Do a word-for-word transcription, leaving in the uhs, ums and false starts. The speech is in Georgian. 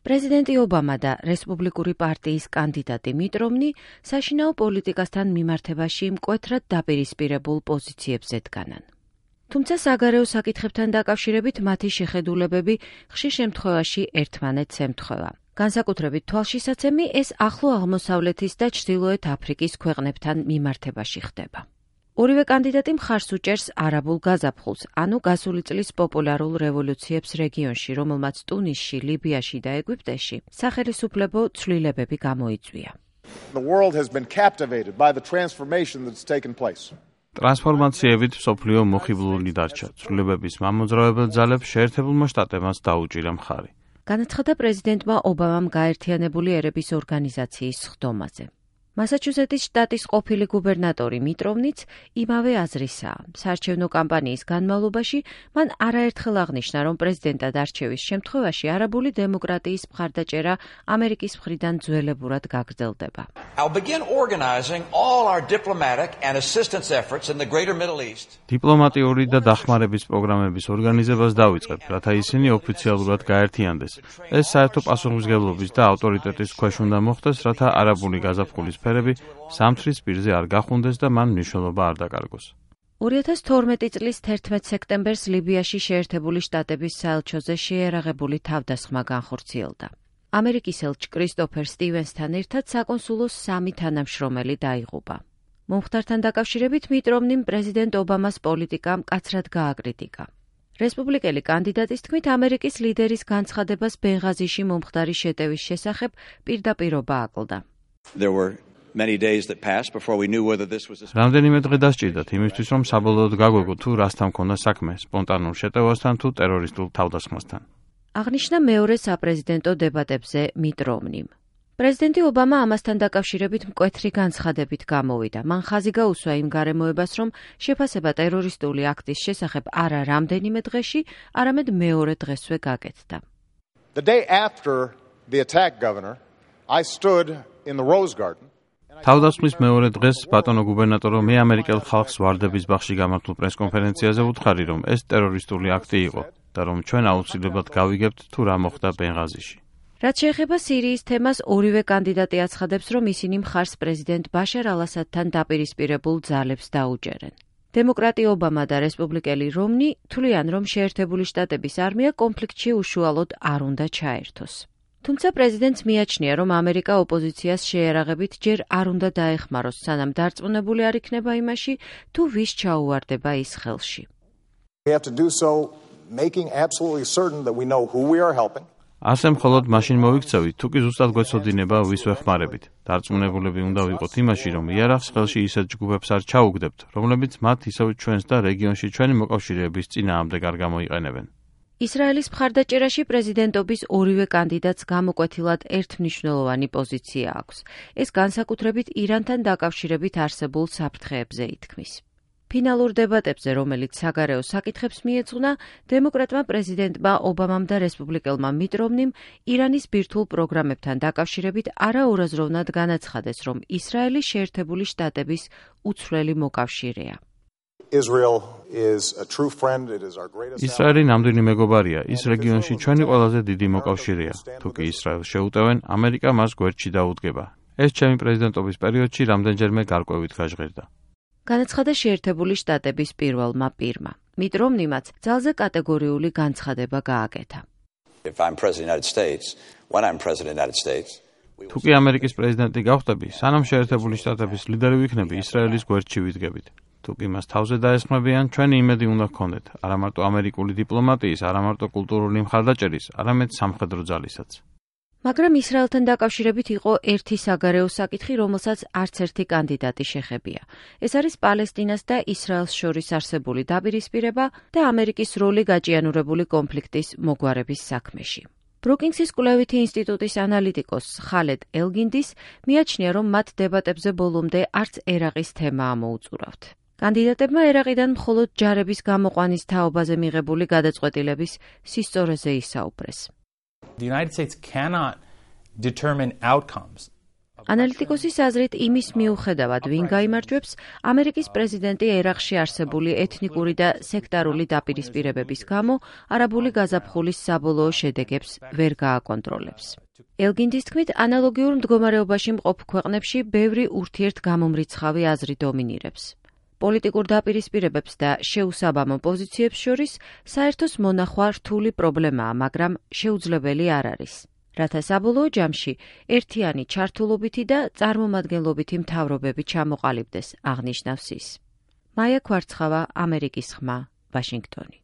პრეზიდენტი ობამა და რესპუბლიკური პარტიის კანდიდატი მიტ რომნი საშინაო პოლიტიკასთან მიმართებაში მკვეთრად დაპირისპირებულ პოზიციებზე დგანან. თუმცა საგარეო საკითხებთან დაკავშირებით მათი შეხედულებები ხშირ შემთხვევაში ერთმანეთს ემთხვევა. განსაკუთრებით თვალშისაცემი ეს ახლო აღმოსავლეთის და ჩრდილოეთ აფრიკის ქვეყნებთან მიმართებაში ხდება. ორივე კანდიდატი მხარს უჭერს არაბულ გაზაფხულს, ანუ გასული წლის პოპულარულ რევოლუციებს რეგიონში, რომელმაც ტუნისში, ლიბიაში და ეგვიპტეში სახელისუფლებო ცვლილებები გამოიწვია. The world has been captivated by the transformation that's taken place. ტრანსფორმაციებით მსოფლიო მოხიბლული დარჩა. ცვლილებების მამოძრავებელ ძალებს შეერთებულმა შტატებმაც დაუჭირა მხარი. განაცხადა პრეზიდენტმა ობამამ გაერთიანებული ერების ორგანიზაციის სხდომაზე. მასაჩუსეტის შტატის ყოფილი გუბერნატორი მიტ რომნიც იმავე აზრისაა. საარჩევნო კამპანიის განმავლობაში მან არაერთხელ აღნიშნა, რომ პრეზიდენტად არჩევის შემთხვევაში არაბული დემოკრატიის მხარდაჭერა ამერიკის მხრიდან ძველებურად გაგრძელდება. დიპლომატიური და დახმარების პროგრამების ორგანიზებას დავიწყებ, რათა ისინი ოფიციალურად გაერთიანდეს. ეს საერთო პასუხისმგებლობის და ავტორიტეტის ქვეშ უნდა მოხდეს, რათა არაბული გაზაფხულის ფერები სამთრის პირზე არ გახუნდეს და მან მნიშვნელობა არ დაკარგოს. ორი ათას თორმეტი წლის თერთმეტ სექტემბერს ლიბიაში შეერთებული შტატების საელჩოზე შეერაღებული თავდასხმა განხორციელდა. ამერიკის ელჩ კრისტოფერ სტივენსთან ერთად საკონსულოს სამი თანამშრომელი დაიღუპა. მომხდართან დაკავშირებით მიტ რომნიმ პრეზიდენტ ობამას პოლიტიკა მკაცრად გააკრიტიკა. რესპუბლიკელი კანდიდატის თქმით, ამერიკის ლიდერის განცხადებას ბენღაზიში მომხდარი შეტევის შესახებ პირდაპირობა აკლდა. რამდენიმე დღე დასჭირდათ იმისთვის, რომ საბოლოოდ გაგვეგო თუ რასთან მქონდა საქმე, სპონტანურ შეტევასთან თუ ტერორისტულ თავდასხმასთან. აღნიშნა მეორე საპრეზიდენტო დებატებზე მიტ რომნიმ. პრეზიდენტი ობამა ამასთან დაკავშირებით მკვეთრი განცხადებით გამოვიდა. მან ხაზი გაუსვა იმ გარემოებას, რომ შეფასება ტერორისტული აქტის შესახებ არა რამდენიმე დღეში, არამედ მეორე დღესვე გაკეთდა. The day after the attack, Governor, I stood in the Rose Garden. თავდასხმის მეორე დღეს, ბატონო გუბერნატორო, მე ამერიკელ ხალხს ვარდების ბაღში გამართულ პრესკონფერენციაზე ვუთხარი, რომ ეს ტერორისტული აქტი იყო და რომ ჩვენ აუცილებლად გავიგებთ თუ რა მოხდა ბენღაზიში. რაც შეეხება სირიის თემას, ორივე კანდიდატი აცხადებს, რომ ისინი მხარს პრეზიდენტ ბაშარ ალ-ასადთან დაპირისპირებულ ძალებს დაუჭერენ. დემოკრატი ობამა და რესპუბლიკელი რომნი თვლიან, რომ შეერთებული შტატების არმია კონფლიქტში უშუალოდ არ უნდა ჩაერთოს. თუმცა პრეზიდენტს მიაჩნია, რომ ამერიკა ოპოზიციას შეერაღებით ჯერ არ უნდა დაეხმაროს, სანამ დარწმუნებული არ იქნება იმაში, თუ ვის ჩაუვარდება ის ხელში. We have to do so making absolutely certain that we know who we are helping. ასე მხოლოდ მაშინ მოვიქცევით, თუ კი ზუსტად გვეცოდინება ვის ვეხმარებით. დარწმუნებულები უნდა ვიყოთ იმაში, რომ იარაღს ხელში ისეთ ჯგუფებს არ ჩაუგდებთ, რომლებიც მათ ისევ ჩვენს და რეგიონში ჩვენი მოკავშირეების წინააღმდეგ არ გამოიყენებენ. ისრაელის მხარდაჭერაში პრეზიდენტობის ორივე კანდიდატს გამოკვეთილად ერთმნიშვნელოვანი პოზიცია აქვს. ეს განსაკუთრებით ირანთან დაკავშირებით არსებულ საფრთხეებზე ითქმის. ფინალურ დებატებზე, რომელიც საგარეო საკითხებს მიეძღვნა, დემოკრატმა პრეზიდენტმა ობამამ და რესპუბლიკელმა მიტ რომნიმ ირანის ბირთვულ პროგრამებთან დაკავშირებით არაურაზროვნად განაცხადეს, რომ ისრაელი შეერთებული შტატების უცვლელი მოკავშირეა. ისრაელი ნამდვილი მეგობარია, ის რეგიონში ჩვენი ყველაზე დიდი მოკავშირეა. თუ კი ისრაელს შეუტევენ, ამერიკა მას გვერდში დაუდგება. ეს ჩემი პრეზიდენტობის პერიოდში რამდენჯერმე გარკვევით გაჟღერდა. განაცხადა შეერთებული შტატების პირველმა პირმა. მიტ რომნიმაც ძალზე კატეგორიული განცხადება გააკეთა. თუ კი ამერიკის პრეზიდენტი გავხდები, სანამ შეერთებული შტატების ლიდერი ვიქნები, ისრაელის გვერდში ვიდგებით. თუ კი მას თავზე დაესხმებიან, ჩვენი იმედი უნდა გქონდეთ, არა მარტო ამერიკული დიპლომატიის, არა მარტო კულტურული მხარდაჭერის, არამედ სამხედრო ძალისაც. მაგრამ ისრაელთან დაკავშირებით იყო ერთი საგარეო საკითხი, რომელსაც არც ერთი კანდიდატი შეხებია. ეს არის პალესტინას და ისრაელს შორის არსებული დაპირისპირება და ამერიკის როლი გაჭიანურებული კონფლიქტის მოგვარების საქმეში. ბრუკინგსის კვლევითი ინსტიტუტის ანალიტიკოს ხალედ ელგინდის მიაჩნია, რომ მათ დებატებზე ბოლომდე არც ერაყის თემა ამოუწურავთ. კანდიდატებმა ერაყიდან მხოლოდ ჯარების გამოყვანის თაობაზე მიღებული გადაწყვეტილების სისწორეზე ისაუბრეს. ანალიტიკოსის აზრით, იმის მიუხედავად, ვინ გაიმარჯვებს, ამერიკის პრეზიდენტი ერაყში არსებული ეთნიკური და სექტარული დაპირისპირებების გამო არაბული გაზაფხულის საბოლოო შედეგებს ვერ გააკონტროლებს. ელგინდის თქმით, ანალოგიურ მდგომარეობაში მყოფ ქვეყნებში ბევრი ურთიერთგამომრიცხავი აზრი დომინირებს. პოლიტიკურ დაპირისპირებებს და შეუსაბამო პოზიციებს შორის საერთოს მონახვა რთული პრობლემაა, მაგრამ შეუძლებელი არ არის. რათა საბოლოო ჯამში ერთიანი ჩართულობითი და წარმომადგენლობითი მთავრობები ჩამოყალიბდეს, აღნიშნავს ის. მაია ქვარცხავა, ამერიკის ხმა, ვაშინგტონი.